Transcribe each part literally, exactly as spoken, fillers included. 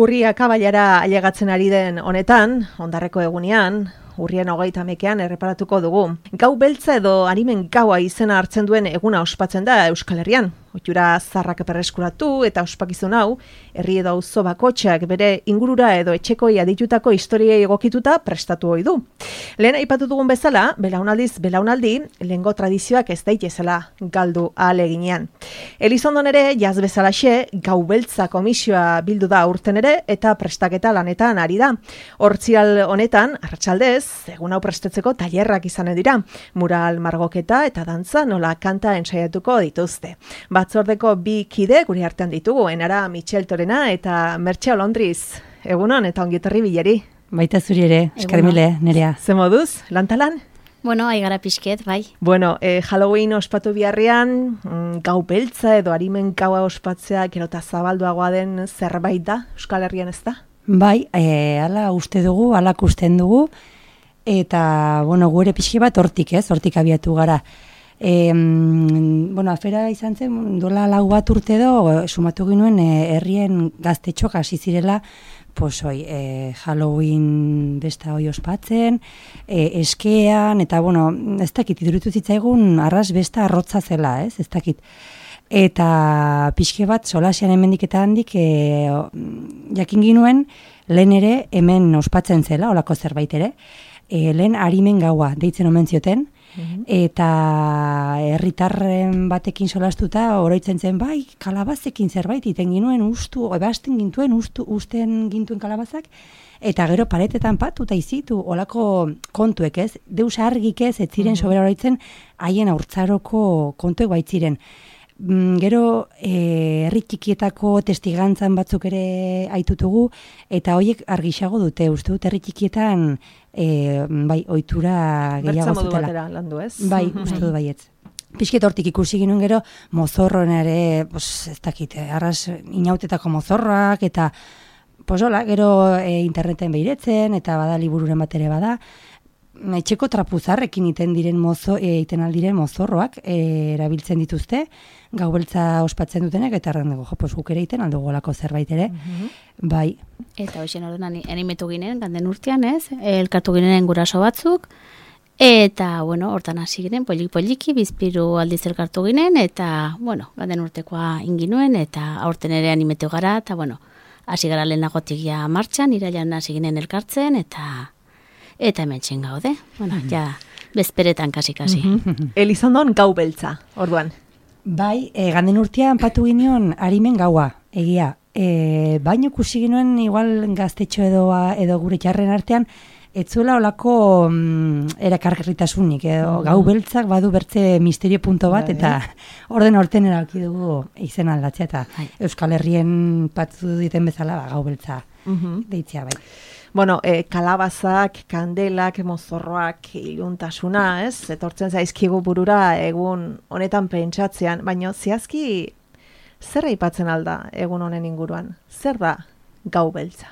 Urria kabailara ailegatzen ari den honetan, ondarreko egunean, urrien hogeita hamekean erreparatuko dugu. Gau beltza edo arimen gaua izena hartzen duen eguna ospatzen da Euskal Herrian. Ohitura zarrak berreskuratu eta ospakizun hau, herri edo auzo bakoitzak bere ingurura edo etxekoi aditutako historiei egokituta prestatu ohi du. Lehen aipatu dugun bezala, belaunaldiz belaunaldi, lehengo tradizioak ez daitezela galdu ahaleginean. Elizondon ere, jaz bezalaxe, gau beltza komisioa bildu da urten ere eta prestaketa lanetan ari da. Hortzial honetan, arratsaldez, egun hau prestatzeko tailerrak izanen dira. Mural, margoketa eta dantza nola kanta ensaiatuko dituzte. Batzordeko bi kide guri artean ditugu, Enara Michel Torena eta Mertxe Olondriz. Egunon eta ongietorri bileri. Baita zuri ere, eskarmile, Nerea. Ze moduz, lantalan? Bueno, aigara pixket, bai. Bueno, eh, Halloween ospatu biharrian, mm, gau beltza edo arimen gaua ospatzea gerota zabalduagoa den zerbait da, Euskal Herrian ez da? Bai, e, ala uste dugu, ala kusten dugu, eta, bueno, gure pixke bat hortik, ez, hortik abiatu gara. E, bueno, afera izan zen, dola lau bat urte edo, sumatu ginuen, e, herrien gaztetxoak hasi zirela, pues, oi, e, Halloween besta hoi ospatzen, e, eskean, eta, bueno, ez dakit, iduritu zitzaigun, arras besta arrotza zela, ez, ez dakit. Eta pixke bat, solasean hemendik eta handik, e, jakin ginuen, lehen ere, hemen ospatzen zela, olako zerbait ere, e, lehen arimen gaua, deitzen omen zioten, eta herritarren batekin solastuta oroitzen zen, bai, kalabazekin zerbait iten ginuen ustu, ebasten gintuen ustu, usten gintuen kalabazak, eta gero paretetan patuta izitu, olako kontuek ez, deus argik ez, ez ziren sobera oroitzen, haien haurtzaroko kontuek baitziren. Gero e, herri txikietako testigantzan batzuk ere aitutugu, eta horiek argisago dute, uste dut herri txikietan e, bai, ohitura gehiago zutela. Bertza modu batera landu ez? Bai, uste dut baietz. Pixket hortik ikusi ginuen gero, mozorroen ere, pues, ez dakit, arras inautetako mozorroak, eta posola, gero e, interneten behiretzen, eta bada libururen bat ere bada, etxeko trapuzarrekin iten diren mozo, e, iten aldiren mozorroak e, erabiltzen dituzte, gau beltza ospatzen dutenek, eta erran dugu, jo, pues guk ere iten aldugu olako zerbait ere, uh-huh. Bai. Eta hoxen orduan animetu ginen, ganden urtean ez, elkartu ginen guraso batzuk, eta, bueno, hortan hasi ginen, polik-poliki, bizpiru aldiz elkartu ginen, eta, bueno, ganden urtekoa inginuen, eta aurten ere animetu gara, eta, bueno, hasi gara lehenagotik ja martxan, irailan hasi ginen elkartzen, eta... Eta hemen txen gaude, bueno, ja, bezperetan kasi-kasi. Elizondon gau beltza, orduan. Bai, e, ganden urtean patu ginen arimen gaua, egia. E, baino kusi ginen, igual gaztetxo edo, edo gure txarren artean, etzuela olako mm, erakargarritasunik, edo gau beltzak badu bertze misterio punto bat, eta orden orten erauki dugu izen aldatzea, eta Euskal Herrien patu diten bezala ba, gau beltza deitzea bai. Bueno, eh, kalabazak, kandelak, mozorroak, iluntasuna, ez? Etortzen zaizkigu burura egun honetan pentsatzean, baina zehazki zer aipatzen alda egun honen inguruan? Zer da gau beltza?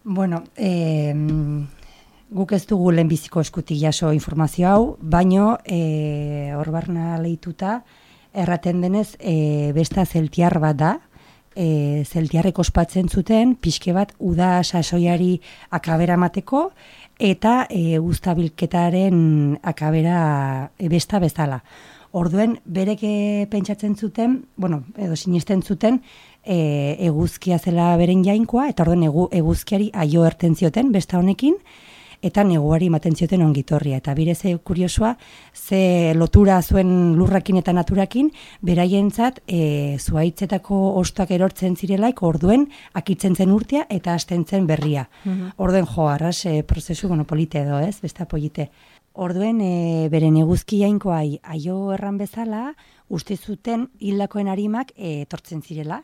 Bueno, eh, guk ez dugu lehenbiziko eskutik jaso informazio hau, baino eh, hor barna lehituta erraten denez e, besta zeltiar bat da, E, zeltiarrek ospatzen zuten, pixke bat uda sasoiari akabera mateko, eta e, uztabilketaren akabera e, besta bezala. Orduen, berek pentsatzen zuten, bueno, edo sinisten zuten, e, eguzkia zela beren jainkoa, eta orduen egu, eguzkiari aio erten zioten besta honekin, eta neguari ematen zioten ongitorria. Eta bire ze kuriosoa, ze lotura zuen lurrakin eta naturakin, beraientzat e, zuaitzetako ostoak erortzen zirelaik, orduen akitzen zen urtea eta hasten zen berria. Uh-huh. Orduen jo, arras e, prozesu bueno, polite edo, ez? Besta polite. Orduen e, beren eguzki jainkoai aio erran bezala, uste zuten hildakoen arimak e, etortzen zirela.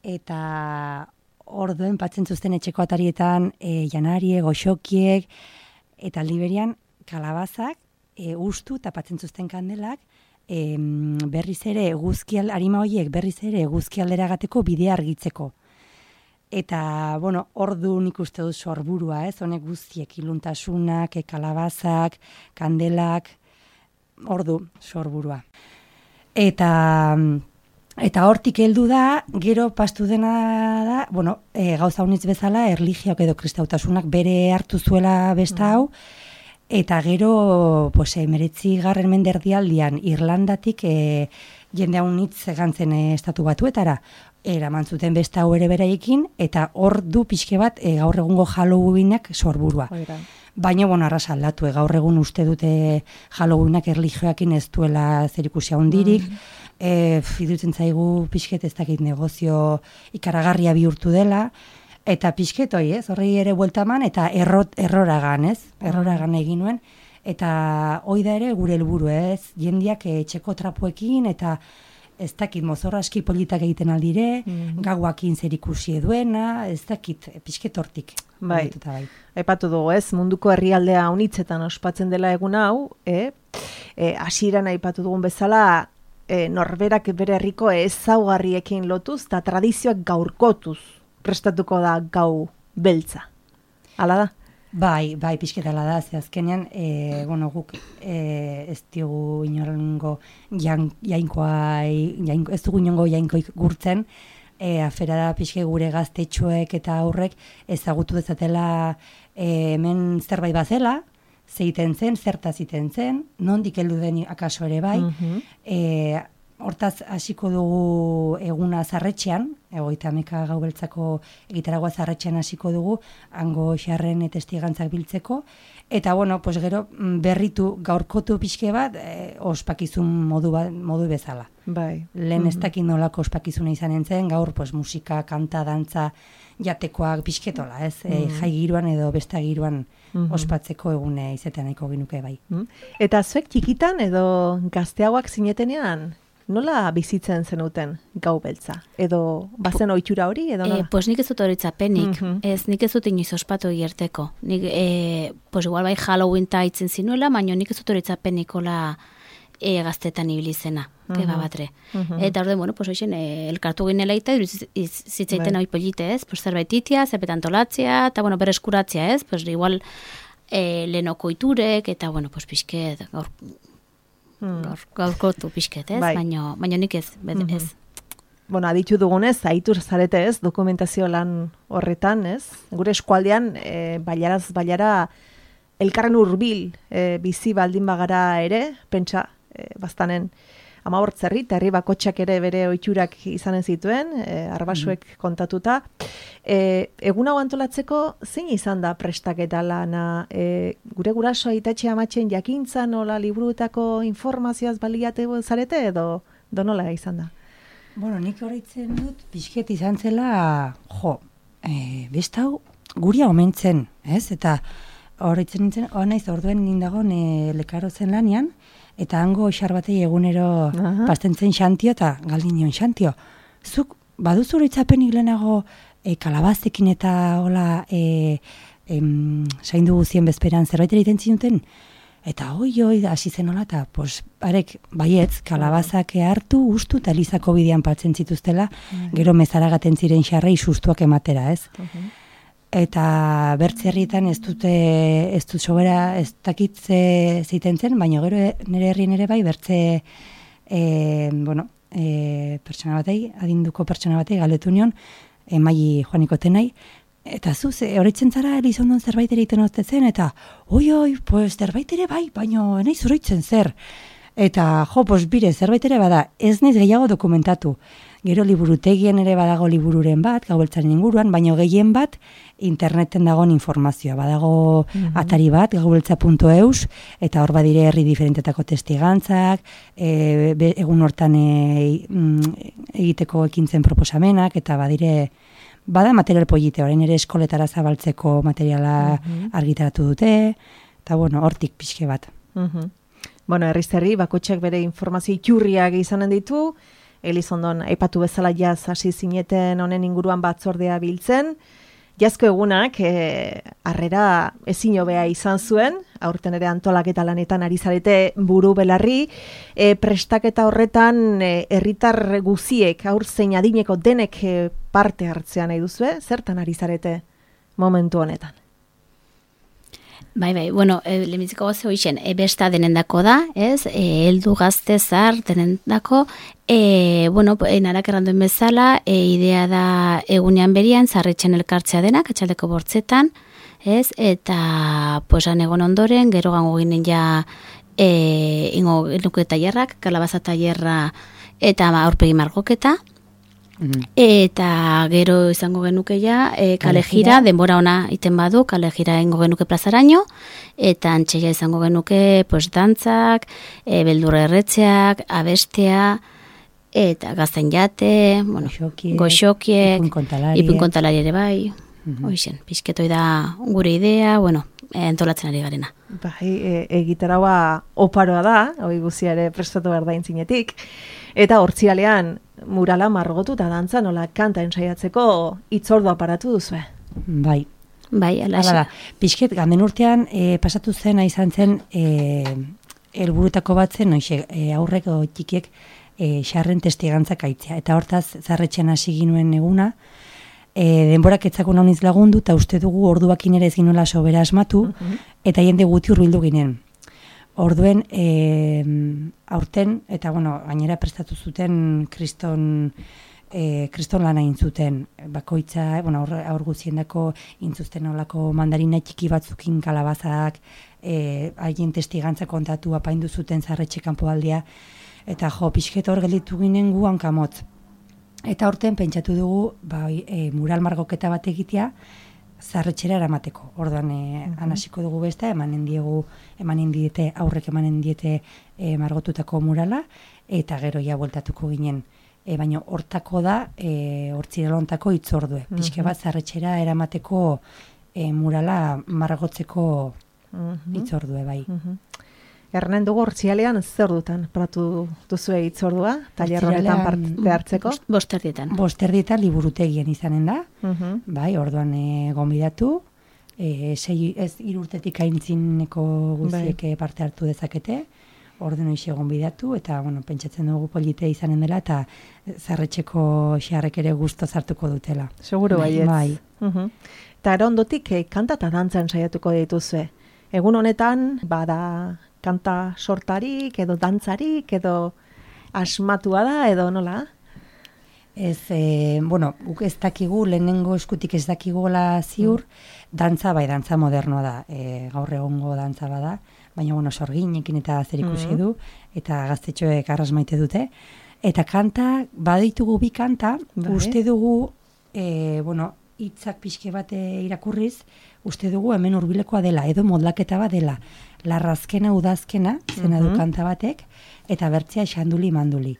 Eta... Orduen patzen zuzten etxeko atarietan e, janarie, goxokiek, eta liberian kalabazak e, ustu eta patzen zuzten kandelak e, berriz ere eguzkial, arima horiek berriz ere eguzkialdera gateko bidea argitzeko. Eta, bueno, ordu nik uste dut sorburua, ez, honek guztiek, iluntasunak, e, kalabazak, kandelak, ordu sorburua. Eta... Eta hortik heldu da, gero pastu dena da, bueno, e, gauza unitz bezala, erlijioak edo kristautasunak bere hartu zuela besta hau, eta gero, pues, emeretzi garren menderdialdian Irlandatik e, jende unitz gantzen e, estatu batuetara, eraman zuten besta hau ere beraiekin, eta hor du pixke bat e, gaur egungo Halloweenak sorburua. Oira. Baina, bueno, arras aldatu, e, gaur egun uste dute Halloweenak erlijioakin ez duela zerikusia hundirik, mm. E, idutzen zaigu pixket ez dakit negozio ikaragarria bihurtu dela, eta pixket hoi, ez, horrei ere bueltaman, eta errot, erroragan, ez, erroragan egin nuen, eta hoi da ere gure helburu, ez, jendiak etxeko trapuekin, eta ez dakit mozorra aski politak egiten aldire, mm. gauakin zer ikusi duena, ez dakit pixket hortik. Bai, bai. Epatu dugu, ez, munduko herrialdea unitzetan ospatzen dela egun hau, e, e, hasieran aipatu dugun bezala, E, norberak bere herriko ezaugarriekin lotuz eta tradizioak gaurkotuz prestatuko da gau beltza. Hala da? Bai, bai, pixketala da, ze azkenean, e, bueno, guk e, ez diogu inorengo jan, jainkoa, jainko, ez dugu inongo jainkoik gurtzen, e, afera da pixke gure gaztetxoek eta aurrek ezagutu dezatela e, hemen zerbait bazela, zeiten zen, zertaz iten zen, nondik heldu den akaso ere bai, mm-hmm. e, hortaz hasiko dugu eguna zarretxean, egoita ameka gau beltzako egitaragoa zarretxean hasiko dugu, hango xarren testigantzak biltzeko, eta bueno, pues gero berritu gaurkotu pixke bat, e, ospakizun modu, ba, modu bezala. Bai. Lehen mm-hmm. ez dakit nolako ospakizuna izan entzen, gaur pues, musika, kanta, dantza, jatekoak pixketola, ez? Mm-hmm. E, jai giroan edo besta giroan Mm-hmm. ospatzeko egune izatea nahiko ginuke bai. Mm. Eta zuek txikitan edo gazteagoak zinetenean, nola bizitzen zenuten gau beltza? Edo bazen ohitura hori edo nola? Eh, pues nik ez dut horitzapenik, mm-hmm. ez nik ez dut inoiz ospatu hierteko. Nik, eh, pues igual bai Halloween ta itzen zinuela, baina nik ez dut horitzapenik ola e, gaztetan ibilizena, mm-hmm. keba batre. Mm-hmm. Eta orden, bueno, pues hoxen, e, elkartu ginela eta zitzaiten hori polite, ez? Pues zerbait itia, zerbait antolatzea, eta bueno, bereskuratzea, ez? Pues igual e, lehenoko iturek, eta bueno, pues pixket, gaur, mm. gaur, gaurkotu pixket, ez? Bai. Baina, baina nik ez, mm-hmm. ez. Bueno, aditu dugunez, aitur zarete ez, dokumentazio lan horretan, ez? Gure eskualdean, e, bailaraz bailara, elkarren hurbil e, bizi baldin bagara ere, pentsa, e, bastanen, amabortzerri, eta herri bakotxak ere bere ohiturak izanen zituen, e, arbasuek mm. kontatuta. E, egun hau antolatzeko, zein izan da prestaketa lana? E, gure guraso aitatxe amatxen jakintza nola liburuetako informazioaz baliate zarete edo donola izan da? Bueno, nik horretzen dut, pixket izan zela, jo, e, bestau guria omentzen, ez? Eta horretzen nintzen, oa naiz orduen nindagon e, lekaro zen lanian, eta hango xar batei egunero uh-huh. pastentzen xantio eta galdin nion xantio. Zuk, baduzu horitzapenik lehenago e, kalabazekin eta hola e, em, saindu guzien bezperan zerbait egiten zinuten? Eta oi, oi, hasi zen hola, eta pues, arek, baietz, kalabazak hartu, ustu, eta Elizako bidean paltzen zituztela, uh-huh. gero mezaragaten ziren xarrei sustuak ematera, ez? Uh-huh. Eta bertzerrietan ez dute, ez dut sobera, ez dakitze zeiten zen, baina gero nire herrien ere bai, bertze, e, bueno, e, pertsona batei, adinduko pertsona batei, galdetu nion, e, maili joaniko tenai, eta zuz, horretzen zara Elizondon zerbait ere iten oztetzen, eta oi, oi, pues zerbait ere bai, baina nahi zoroitzen zer. Eta, jo, pues bire, zerbait ere bada, ez naiz gehiago dokumentatu. Gero liburutegien ere badago libururen bat, gaubeltzaren inguruan, baina gehien bat interneten dagoen informazioa. Badago mm-hmm. atari bat, gaubeltza puntu eus, eta hor badire herri diferentetako testigantzak, e, be, egun hortan e, egiteko ekintzen proposamenak, eta badire, bada material polite, orain ere eskoletara zabaltzeko materiala mm-hmm. argitaratu dute, eta bueno, hortik pixke bat. Mm-hmm. Bueno, herriz herri, bakotxak bere informazio iturriak izanen ditu, Elizondon aipatu bezala jaz hasi zineten honen inguruan batzordea biltzen. Jazko egunak e, harrera ezin hobea izan zuen, aurten ere antolaketa lanetan ari zarete buru belarri, e, prestaketa horretan herritar e, guziek, aur zein adineko denek e, parte hartzea nahi duzue, zertan ari zarete momentu honetan? Bai, bai, bueno, e, lehenbiziko goze hoixen, e, besta denendako da, ez, e, heldu gazte zar denendako, e, bueno, e, narak erranduen bezala, e, idea da egunean berian, zarretxen elkartzea denak, atxaldeko bortzetan, ez, eta, posan egon ondoren, gero gango ginen ja, e, ingo genuke tailerrak, kalabaza tailerra, eta aurpegi margoketa, eta gero izango genuke ja e, kale jira, denbora ona iten badu, kale jira ingo genuke plazaraino, eta antxeia izango genuke pues, dantzak, e, beldurra erretzeak, abestea, eta gazten jate, bueno, goxokiek, ipun kontalari ere bai, mm-hmm. Hoixen, pixketoi da gure idea, bueno, e, entolatzen ari garena. Bai, e, egitaraua oparoa da, hoi guzia ere prestatu behar da intzinetik, eta hortzialean murala margotu eta dantza nola kanta ensaiatzeko itzordu aparatu duzue. Bai. Bai, alaxe. Pixket, ganden urtean e, pasatu zen, izan zen, e, helburutako bat zen, noixe, e, aurrek o txikiek e, xarren testigantzak aitzea. Eta hortaz, zarretxean hasi ginuen eguna, e, denborak etzakun hauniz lagundu, eta uste dugu orduakin ere ez ginuela sobera asmatu, uh-huh. Eta jende guti hurbildu ginen. Orduen, e, aurten, eta bueno, gainera prestatu zuten kriston, e, kriston lana intzuten, bakoitza, bueno, aur, aur guziendako intzuzten olako mandarina txiki batzukin kalabazak, e, haien testigantza kontatu apaindu zuten zarretxe kanpoaldia, eta jo, pixket hor gelditu ginen gu hankamotz. Eta aurten pentsatu dugu, ba, e, mural margoketa bat egitea, zarretxera eramateko. Orduan, e, uh-huh. Anasiko dugu besta, emanen diegu, emanen diete, aurrek emanen diete e, margotutako murala, eta gero ja bueltatuko ginen. E, baina hortako da, e, hortziralontako itzordue. Uh-huh. Pixke bat zarretxera eramateko e, murala margotzeko uh-huh. Itzordue, bai. Uh-huh. Erren dugu hortzialean zer dutan pratu duzue itzordua, tailer honetan parte hartzeko? Bosterdietan. Bosterdietan liburutegien izanen da, uh-huh. Bai, orduan e, gonbidatu, e, sei, ez irurtetik aintzineko guztiek bai. Parte hartu dezakete, orduan hoxe gonbidatu, eta bueno, pentsatzen dugu polite izanen dela, eta zarretxeko xarrek ere gusto zartuko dutela. Seguro baietz. Bai. Uh-huh. Eta erondotik eh, kanta eta dantzan saiatuko dituzue. Egun honetan, bada kanta sortarik, edo dantzarik, edo asmatua da, edo nola? Ez, e, bueno, guk ez dakigu, lehenengo eskutik ez dakigola ziur, mm. dantza, bai, dantza modernoa da, e, gaur egongo dantza bada, baina, bueno, sorginekin eta zer ikusi mm. du, eta gaztetxoek arras maite dute. Eta kanta, baditugu bi kanta, bai. Uste dugu, e, bueno, hitzak pixke bate irakurriz, uste dugu hemen hurbilekoa dela, edo modlaketa bat dela. Larrazkena, udazkena, zena du kanta batek, eta bertzea xanduli manduli.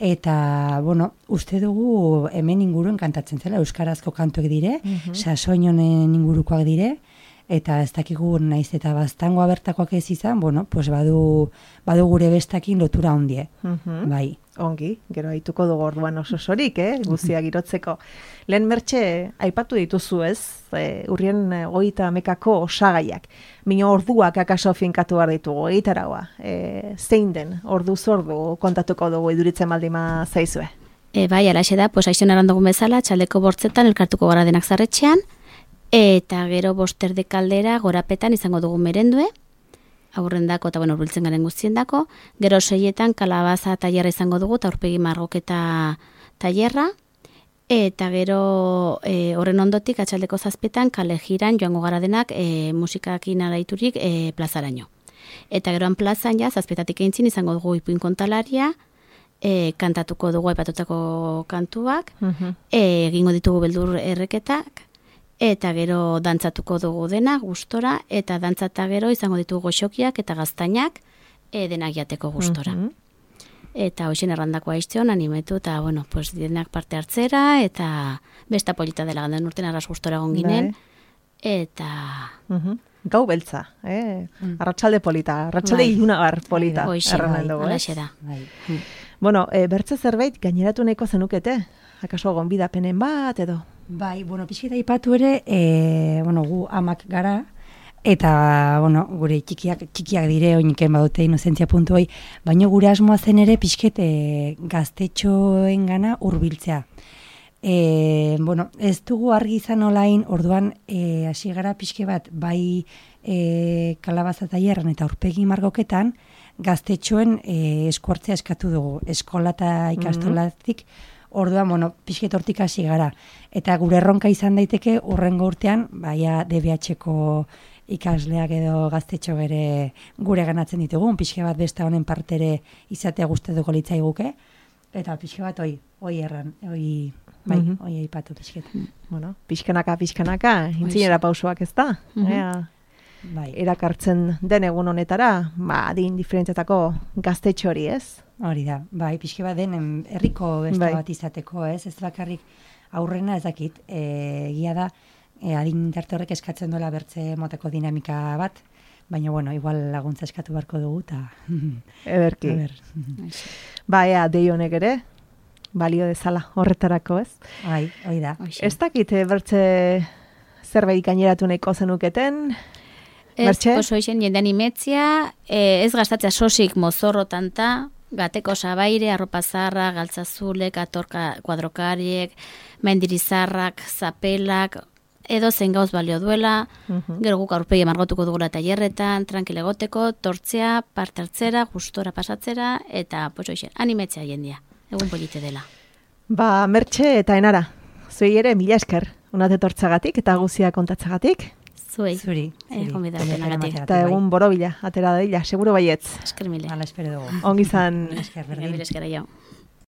Eta, bueno, uste dugu hemen inguruen kantatzen zela, euskarazko kantuek dire, uh-huh. sasoinonen ingurukoak dire, eta ez dakigu naiz eta baztangoa bertakoak ez izan, bueno, pues badu, badu gure bestakin lotura ondie, uh-huh. bai. Ongi, gero haituko dugu orduan oso sorik, eh? Guztia girotzeko. Lehen mertxe, aipatu dituzu ez, e, urrien hogeita hamekako osagaiak. Mino orduak akaso finkatu behar ditugu, egitaragoa. E, zein den, ordu zordu kontatuko dugu iduritzen baldima zaizue? E, bai, alaxe da, pues aizon erandugun bezala, txaldeko bortzetan elkartuko gara denak zarretxean, eta gero boster de kaldera gorapetan izango dugu merendue, aurrendako eta bueno, urbiltzen garen guztiendako, gero seietan kalabaza tailerra izango dugu, eta aurpegi margoketa tailerra, eta gero e, horren ondotik atxaldeko zazpetan kale jiran joango gara denak e, musikakin araiturik e, plazaraino. Eta geroan plazan ja, zazpetatik eintzin izango dugu ipuin kontalaria, e, kantatuko dugu aipatutako kantuak, uh-huh. e, egingo ditugu beldur erreketak, eta gero dantzatuko dugu dena, gustora, eta dantzata gero izango ditugu goxokiak eta gaztainak e, denak jateko gustora. Uh-huh. Eta hoxen errandako aizteon animetu, eta bueno, pues, denak parte hartzera, eta besta polita dela gandan urten arras gustora gonginen, eta... Uh-huh. Gau beltza, eh? Mm. Arratsalde polita, arratsalde bai. Ilunabar polita. Hoxe, bai, alaxe da. Bai. Bueno, e, bertze zerbait gaineratu nahiko zenukete? Akaso gonbidapenen bat, edo? Bai, bueno, pixketa ipatu ere, e, bueno, gu amak gara, eta, bueno, gure txikiak, txikiak dire, oiniken badute inozentzia puntu hoi, baina gure asmoa zen ere pixket e, gaztetxoen gana hurbiltzea. E, bueno, ez dugu argi izan olain, orduan, e, hasi gara pixke bat, bai e, kalabaza tailerran eta aurpegi margoketan, gaztetxoen e, eskuartzea eskatu dugu, eskola eta ikastolatik, orduan, bueno, pixket hortik hasi gara. Eta gure erronka izan daiteke, urrengo urtean, baia D B H-ko ikasleak edo gaztetxo bere gure ganatzen ditugun, pixke bat besta honen partere izatea gustatuko litzaiguke, eta pixke bat oi, oi erran, oi, bai, mm -hmm. oi aipatu pixket. Bueno, pixkanaka, pixkanaka, intzinera pausoak ez da, mm -hmm. Ea, bai. Erakartzen den egun honetara, ba, adin diferentziatako gaztetxo hori, ez? Hori da, bai, pixke bat den herriko besta bai. Bat izateko, ez? Ez bakarrik aurrena ez dakit, egia da, E, adin tarte horrek eskatzen duela bertze moteko dinamika bat, baina, bueno, igual laguntza eskatu beharko dugu, eta... Ederki. Ba, ea, dei honek ere, balio dezala horretarako, ez? Bai, hoi da. Ez dakit, bertze zerbait gaineratu nahiko zenuketen? Ez, oso isen, jendean imetzia, e, ez gastatzea sosik mozorro tanta, gateko sabaire, arropa zarra, galtzazulek, atorka, kuadrokariek, mendirizarrak, zapelak, edo zen gauz balio duela, uh-huh. Gero guk aurpegi margotuko dugula tailerretan, tranquil egoteko, tortzea, parte hartzera, gustora pasatzera, eta, pues oixe, animetzea jendia, egun polite dela. Ba, Mertxe eta Enara, zuei ere mila esker, unate tortzagatik eta guzia kontatzagatik. Zuei, zuri, eh, eta egun borobila, atera daila, seguro baietz. Esker mile. Hala espero dugu. Ongi zan. Esker, berdin. Esker, jau.